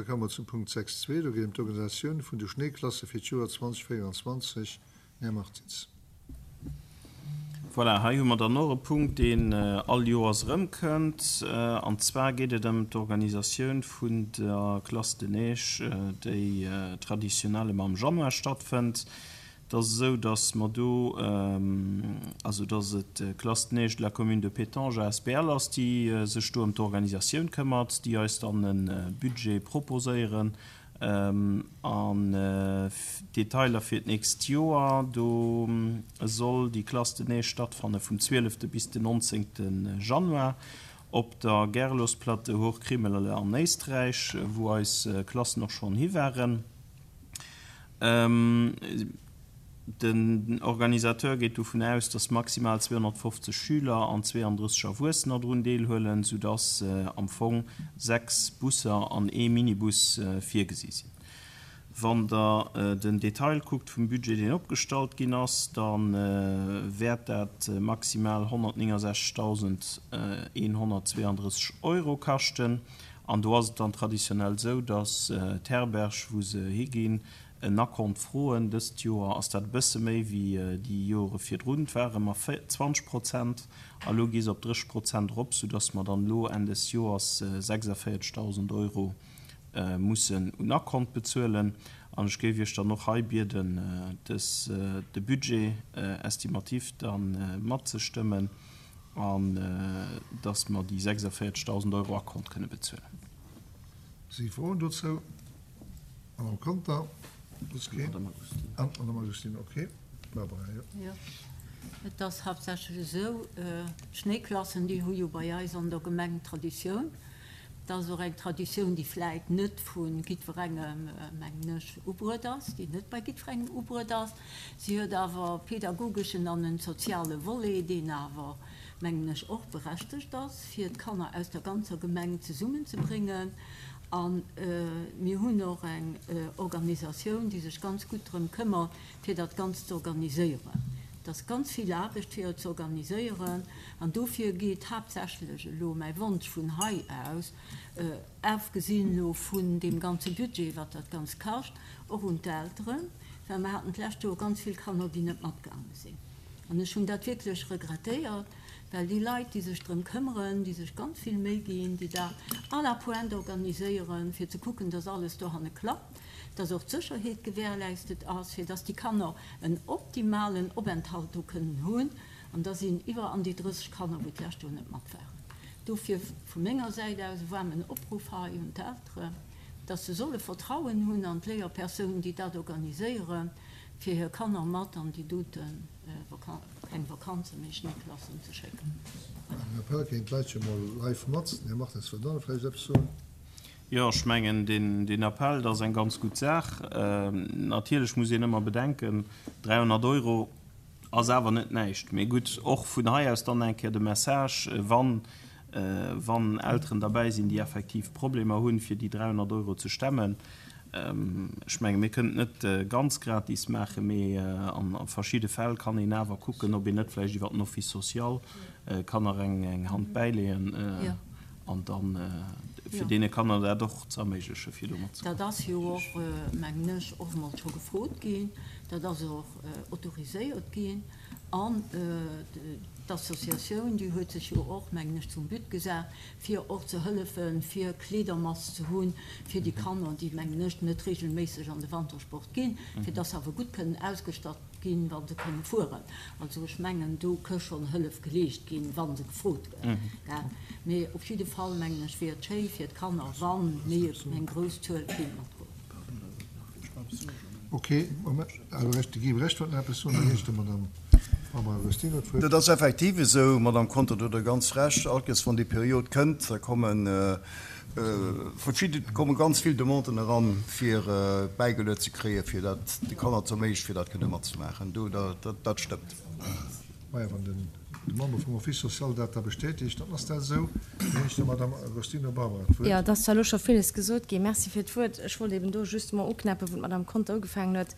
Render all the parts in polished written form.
komme mer zum Punkt 6.2. Do geet et ëm d'Organisatioun vun de Schnéiklasse fir d'Joer 2024. Här Martins. Voilà, hei hu mer dann och e Punkt, deen all Joers erëmkënnt. An zwar geet et ëm d'Organisatioun vun der Classe de neige, déi traditionnellement am Januar stattfënnt. Et ass esou, datt mer do, also datt et d'Classe de neige de la commune de Pétange asbl ass, déi sech do ëm d'Organisatioun këmmert, déi eis dann e Budget proposéieren An d'Detailer fir d'nächst Joer, do soll déi Classe de neige stattfanne vum 12 bis den 19 Januar op der Gerlosplatte Hochkrimmele an Éisträich, wou eis Klassen och schonn hi waren. Den Organisateur geet dovun aus, datt maximal 250 Schüler an 32 Erwuessener drun deelhuelen, soudatt am Fong 6 Busser an ee Minibus virgesi sinn. Wann Der den Detail kuckt vum Budget, deen opgestallt ginn ass, da wäert dat maximal 169.132 Euro kaschten. An do ass et dann traditionell esou, datt d'Herberg, wou se higinn, En Akkont froen. Dëst Joer ass dat e bësse méi wéi déi Jore virdrun. Et ware mer 20 Prozent a lo gi se op 30 Prozent erop, soudass mer dann elo Enn des Joers 46.000 Euro mussen un Akkont bezuelen. An ech géif Iech dann och hei bieden, dës, de Budget estimatif da matzestëmmen an dass mer déi 46.000 Euro Akkont kënne bezuelen. Si Froen dozou? Madame Conter, soss keen? Madame Agostino. Ah, Madame Agostino, okay. Barbara, jo. Jo, et ass haaptsächlech esou, d'Schnéiklassen, déi hu jo bei eis an der Gemeng Traditioun. Et ass och eng Traditioun, déi vläit net vu jiddwerengem, mengen ech, ubruet ass, déi net bei jiddwerengem ubruet ass. Si huet awer e pedagogeschen an en soziale Volet, deen awer, mengen ech, och berechtegt ass, fir d'Kanner aus der ganzer Gemeng zesummenzebréngen. A mir hunn och eng Organisatioun, déi sech ganz gutt drëm këmmert, fir dat Ganzt ze organiséieren. Et ass ganz vill Aarbecht, fir et ze organiséieren. An dofir geet haaptsächlech elo mäi Wonsch vun hei aus, afgesinn elo vun deem ganze Budget, wat dat Ganzt kascht, och un d'Elteren, well mer haten d'lescht Joer ganz vill Kanner, déi net matgaange sinn. An ech hunn dat wierklech regrettéiert. Well déi Leit, déi sech drëm këmmeren, déi sech ganz vill Méi ginn, déi dat à la pointe organiséieren, fir ze kucken, dass alles dohanne klappt, dass och d'Sécherheet gewährleistet ass, fir dass déi Kanner en optimalen Openthalt do kënnen hunn, an da sinn iwwer an déi 30 Kanner, wou d'lescht Joer net mat waren. Dofir vu menger Säit aus e waarmen Opruff hei un d'Elteren, dass se solle Vertrauen hunn an d'Léierpersounen, déi dat organiséieren, fir hir Kanner mat an déi dote Keng Vakanzen, mee Schnéiklassen ze schécken. Den Appell kéint d'Leit jo mol live mat. Den Här Martins wëllt och nach vläicht eppes soen. Jo, ech mengen, deen Appell, dat ass eng ganz gutt Saach. Natierlech muss een ëmmer bedenken, 300 Euro ass awer net näischt. Mee gutt, och vun hei aus dann eng Kéier de Message, wann, wann Elteren derbäi sinn, déi effektiv Problemer hunn, fir déi 300 Euro ze stemmen, Ech menge mir kënnen et net ganz gratis maachen, mee a verschidde Fäll kann een awer kucken, ob een net vläicht iwwer den Office social kann nach eng Hand bäileeën an dann fir deene Kanner dat och ze erméiglechen, fir do matzekommen. Dat ass jo och, mengen ech, och emol scho gefrot ginn. Dat ass och autoriséiert ginn. An d'Associatioun, déi huet sech jo och, mengen ech, zum But gesat, fir och ze hëllefen, fir Kleedermass ze hunn fir déi Kanner, déi, mengen ech, net regelméisseg an de Wantersport ginn, fir dass se awer gutt kënnen ausgestatt ginn, wa se kënne fueren. Also ech mengen, do ka schonn Hëllef geleescht ginn, wa se gefrot gëtt. Mee op jidde Fall, mengen ech, wier et schéi fir d'Kanner, wa méi eng grouss Zuel kéint matgoen. Ok, Moment, de Guy Brecht wollt nach eppes soen, da ginn ech der Madame Barbara Agostino d'Wuert. Dat ass effektiv esou, Madame Conter, do hutt Der ganz Recht. All Kéiers wann déi Period kënnt, da komme verschidde, komme ganz vill Demanden eran, fir bäigeluet ze kréien, fir dat de Kanner ze erméiglechen, fir dat kënne matzemaachen. Do, dat stëmmt. Maja, wann den De Member vum Office social dat da bestätegt, dann ass dat esou. Da ginn ech der Madame Agostino Barbara d'Wuert. Jo, et ass zwar elo scho villes gesot ginn. Merci fir d'Wuert. Ech wollt eben do justement uknäppen, wou d'Madame Conter ugefaangen huet.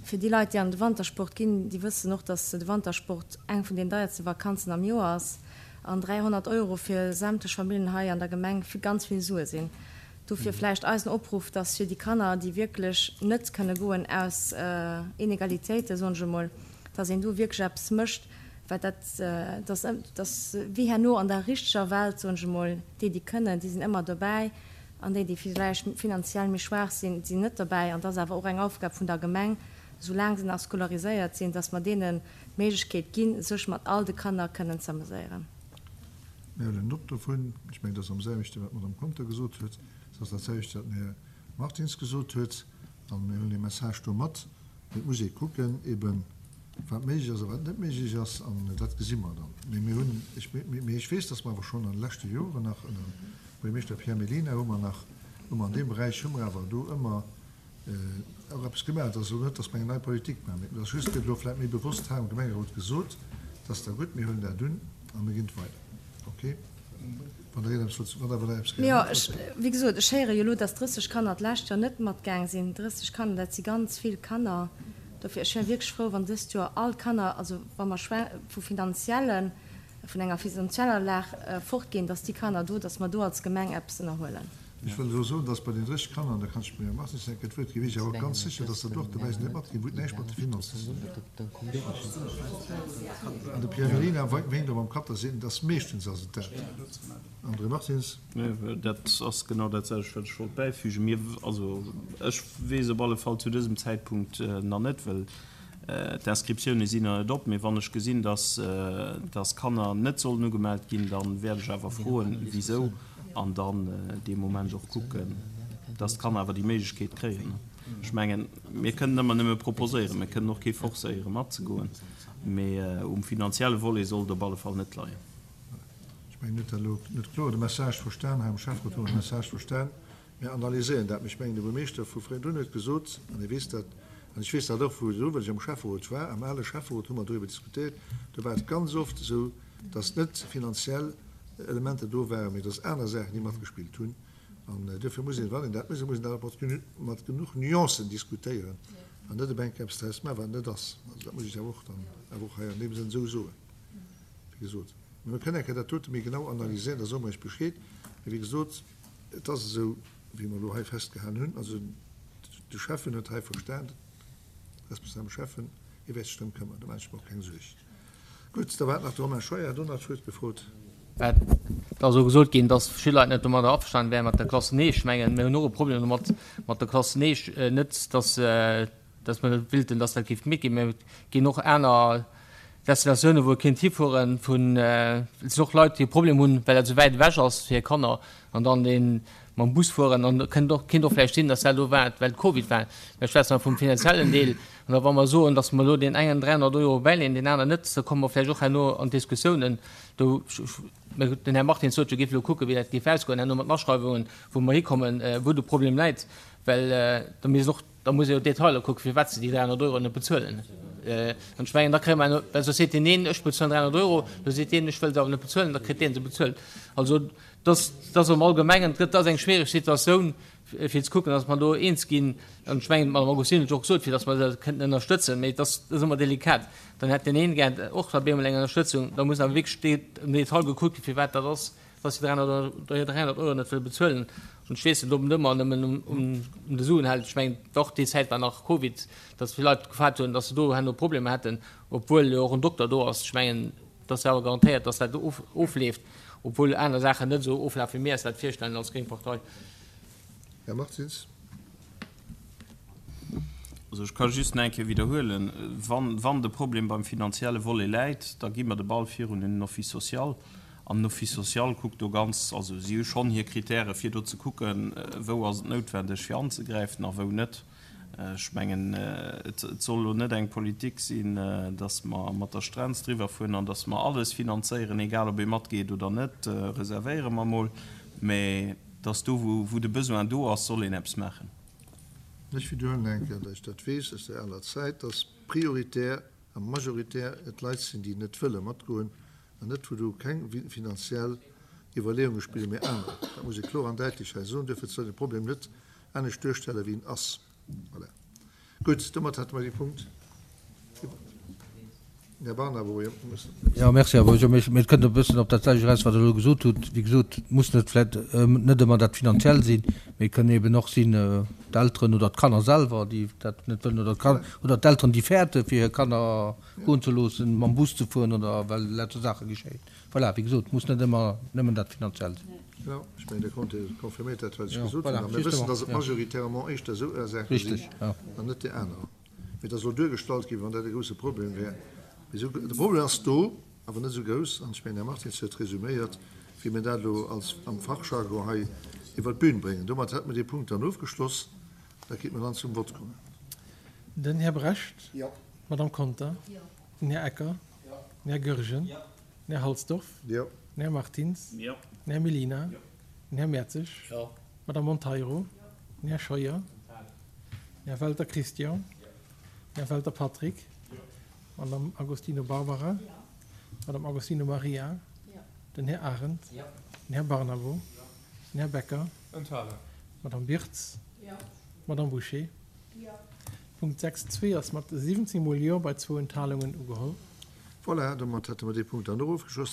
Fir déi Leit, déi an de Wantersport ginn, déi wëssen och, dass de Wantersport eng vun den deierste Vakanzen am Joer ass an 300 Euro fir sämtlech Familljen hei an der Gemeng ganz vill Sue sinn. Dofir vläicht eisen Opruff, dass fir déi Kanner, déi wierklech net kënne goen aus Inegalitéiten, soen ech emol, dass een do wierklech eppes mécht, well dat, dass, dass wéi herno an der richteger Welt, soen ech emol, déi, déi kënnen, déi sinn ëmmer dobäi an déi, déi vläicht finanziell méi schwaach sinn, sinn net dobäi. An dat ass awer och eng Aufgab vun der Gemeng, soulaang se nach scolariséiert sinn, dass mer deenen d'Méiglechkeet ginn, sech mat all de Kanner kënnen z'ameséieren. Mir huelen Nott dovun. Ech mengen, dat ass am selwechte wat d'Madame Conter gesot huet. Et ass dat selwecht wat den Här Martins gesot huet. A mir huelen dee Message do mat. Mee et muss ee kucken eben, wat méiglech ass a wat net méiglech ass. An dat gesi mer dann. Mee mir hunn, ech, mee ech weess, datt mer awer schonn an de leschte Joren nach ënner Buergermeeschter Pierre Mellina hu mer nach, hu mer an deem Beräich hu mer awer do ëmmer och eppes gemaach. Et ass elo net, datt mer eng nei Politik maachen, mee et ass just, gëtt elo vläicht méi bewosst hei am Gemengerot gesot, dat ass da gutt, mir huelen dat un a mir ginn et weider. Okay? Wann Der eppes wëllt, wann Der awer eppes Jo, ech, wéi gesot, ech héiere jo elo, datt 30 Kanner d'lescht Joer net matgaang sinn. 30 Kanner, dat si ganz vill Kanner. Dofir, ech wär wierklech frou, wann dëst Joer all d'Kanner, also wa mer vu finanziellen, vun enger finanzieller Lag fortginn, datt déi Kanner do, datt mer do als Gemeng eppes ënnerhuelen. Ech wëll elo soen, dass bei den 30 Kanner, an da kann ech dem Här Martins eng Kéier d'Wuert ginn, wier ech awer och ganz sécher, dass der do och dobäi sinn, déi net matginn, wou et näischt mat de Finanzen ze dinn huet. An de Pierre Mellina wénkt och mam Kapp, dass een, dass meeschtens ass et dat. André Martins. Dat ass genau dat selwecht, wat ech wollt bäifügen. Mir, also ech weess op alle Fall zu dësem Zäitpunkt nach net, well D'Inscriptioune sinn nach net op, mee wann ech gesinn, dass dass Kanner net sollen ugemellt ginn, da wäert ech awer froen, wisou, an dann dee Moment och kucken, dass d'Kanner awer déi Méiglechkeet kréien. Ech mengen, mir kënnen ëmmer nëmme proposéieren, mir kënnen och kee forcéieren, matzegoen, mee um finanzielle Volet soll et op alle Fall net leien. Ech mengen, huet dat elo net kloer de Message verstan. Hei am Schäfferot hu mer de Message verstan. Mir analyséieren dat. Mee ech mengen, de Buermeeschter vu Frédun huet gesot, an e weess dat, an ech weess dat och vu virdru, well ech am Schäfferot war, am ale Schäfferot hu mer doriwwer diskutéiert, do war et ganz oft esou, datt net finanziell Elementer do waren, mee datt aner Saachen, déi matgespillt hunn. An duerfir muss een, wann een dat mécht, da muss een dat och mat genuch Nuancen diskutéieren an net op eng Kéier eppes draus maachen, wat et net ass. Also dat muss ech awer och dann awer och hei an deem Sënn esou soen. Wéi gesot, mä mir kënnen eng Kéier dat dote méi genau analyséieren, da soe mer Iech Bescheed. Mee wéi gesot, Et ass esou, wéi mer elo hei festgehalen hunn. Also de Schäffen huet hei verstan, de responsabele Schäffen, hie wäert sech drëm këmmern, do maache ech mer och keng Suerg. Gutt, da war et nach de Romain Scheuer, hat och nach d'Wuert gefrot. Et ass och gesot ginn, dass verschidde Leit net domadder averstanen wären, mat der Klass. Nee, ech mengen, mir hunn och e Problem domat, mat der Klass. Nee, net, dass dass mer net willten, dass dat géif gemeet ginn, mä et ginn och aner Destinatiounen, wou e kéint hifueren, vun, et sinn och Leit, déi e Problem hunn, well dat esou wäit ewech ass fir hir Kanner, an dann dee mam Bus fueren. An et kënnt och, kéint och vläicht sinn, dass dat elo war, well Covid war. Mä ech schwätzen awer vum finanziellen Deel. An da wa mer soen, dass mer elo deen engen 300 Euro bäileeën, deen aneren net, da komme mer vläicht och herno an Diskussiounen do. Mä den Här Martins sot jo, géif elo kucken, wéi dat géif ausgoen herno mat den Aschreiwungen, wou mer hikommen, wou de Problem läit, well da misst och, Da muss ee jo d'Detailer kucken, firwat se déi 300 Euro net bezuelen. An ech mengen, da kréie mer, well soss seet deen een, ech bezuelen 300 Euro, da seet deen, ech wëll se awer net bezuelen, da kritt dee se bezuelt. Also dass, dass am Allgemengen, et ass eng schwiereg Situatioun, fir ze kucken, dass mer do eens ginn. An ech mengen, d'Madame Agostini huet jo och gesot, fir dass mer se kënnten ënnerstëtzen, mee et ass, et ass ëmmer delikat. Dann hätt deen een gär och da bemol eng Ënnerstëtzung. Da muss awer wierklech am Detail gekuckt ginn, firwat dat ass. dass si 300 Euro net wëlle bezuelen. An ech weess net, ob et ëmmer nëmmen um de Suen hält. Ech mengen, och déi Zäit war nach Covid, dass vill Leit gefaart hunn, dass se do herno Problemer hätten, obwuel jo och en Dokter do ass. Ech mengen, et ass jo awer garantéiert, dass dat ofleeft, obwuel aner Saachen net esou oflafen, wéi mir eis dat virstellen als gréng Partei. Här Martins. Also ech ka just nach eng Kéier widderhuelen, Wann, wann de Problem beim finanzielle Volet läit, da gi mer de Ball virun un den Office social. An den Office social kuckt do ganz, also si hu schonn hir Kritäre fir do ze kucken, wou ass et noutwendeg fir anzegräifen a wou net. Ech mengen, et soll elo net eng Politik sinn, datt mer mat der Strenz driwwer fueren an datt mer alles finanzéieren, egal ob ee matgeet oder net, reservéiere mer emol, mä datt do wou de Besoin do ass, soll een eppes maachen. Ech widderhuelen eng Kéier, datt ech dat weess aus der aler Zäit, datt prioritär a majoritär et Leit sinn, déi net wëlle matgoen, An net wou do keng finanziell Iwwerleeunge spillen, mee aner. Dat muss ee kloer an däitlech hei soen. Duerfir soll een de Problem net anescht duerstellen, wéi en ass. Voilà. Gutt, domat hätte mer dee Punkt. Här Barnabo, jo. Jo, merci, Här Bourgeois. Mee et kënnt e bëssen op dat selwecht eraus, wat Der elo gesot hutt. Wéi gesot, et muss net vläicht net ëmmer dat Finanziell sinn, mee et kënnen eeben och sinn d'Elteren oder d'Kanner selwer, déi dat net wëllen, oder d'Kan oder d'Elteren, déi fäerte fir hir Kanner goen ze loossen, mam Bus ze fueren oder well lauter Saache geschéien. Voilà, wéi gesot, et muss net ëmmer nëmmen dat Finanziell sinn. Jo, ech mengen, de Comte confirméiert dat, wat ech gesot hunn. A mir wëssen, dass et majoritairement éischter esou Saache sinn an net déi aner. Mee et ass elo duergestallt ginn, wéi wann dat e grousse Problem wär. Mee esou, de Problem ass do, awer net esou grouss. An ech mengen, Här Martins huet resuméiert, wéi mir dat elo als am Fachjargon hei iwwert d'Bühn bréngen. Domat hätte mir dee Punkt dann ofgeschloss. Da kéinte mir dann zum Vott kommen. Den Här Brecht. Jo. D'Madame Conter. Jo. Den Här Ecker. Jo. Den Här Goergen. Jo. Den Här Halsdorf. Jo. Den Här Martins. Jo. Den Här Mellina. Jo. Den Här Mertzig. Jo. D'Madame Monteiro. Den Här Scheuer. Den Här Welter Christian. Den Här Welter Patrick. D'Madame Agostino Barbara. D'Madame Agostino Maria. Den Här Arendt. Den Här Barnabo. Den Här Becker. D'Madame Birtz. D'Madame Bouché. Punkt 6 zwee ass mat 17 mol Jo bei zwou Enthalungen ugeholl. Voilà, domat hätte mer dee Punkt dann och ofgeschloss.